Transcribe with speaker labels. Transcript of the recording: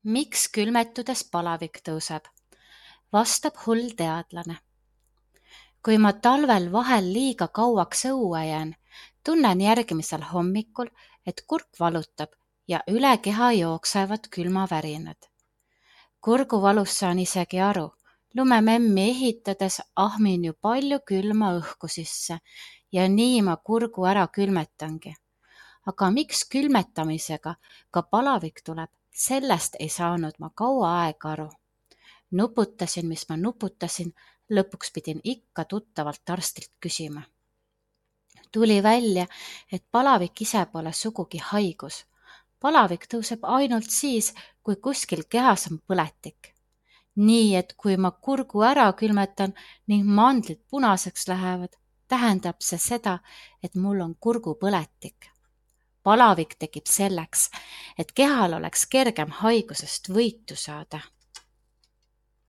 Speaker 1: Miks külmetudes palavik tõuseb? Vastab hull teadlane. Kui ma talvel vahel liiga kauaks õue jään, tunnen järgmisel hommikul, et kurk valutab ja üle keha jooksevad külmavärinad. Kurguvalust saan isegi aru. Lumememmi ehitades ahmin ju palju külma õhku sisse ja nii ma kurgu ära külmetangi. Aga miks külmetamisega ka palavik tuleb, sellest ei saanud ma kaua aega aru. Nuputasin, mis ma nuputasin, lõpuks pidin ikka tuttavalt arstilt küsima. Tuli välja, et palavik ise pole sugugi haigus. Palavik tõuseb ainult siis, kui kuskil kehas on põletik. Nii, et kui ma kurgu ära külmetan ning mandlid punaseks lähevad, tähendab see seda, et mul on kurgupõletik. Palavik tekib selleks, et kehal oleks kergem haigusest võitu saada.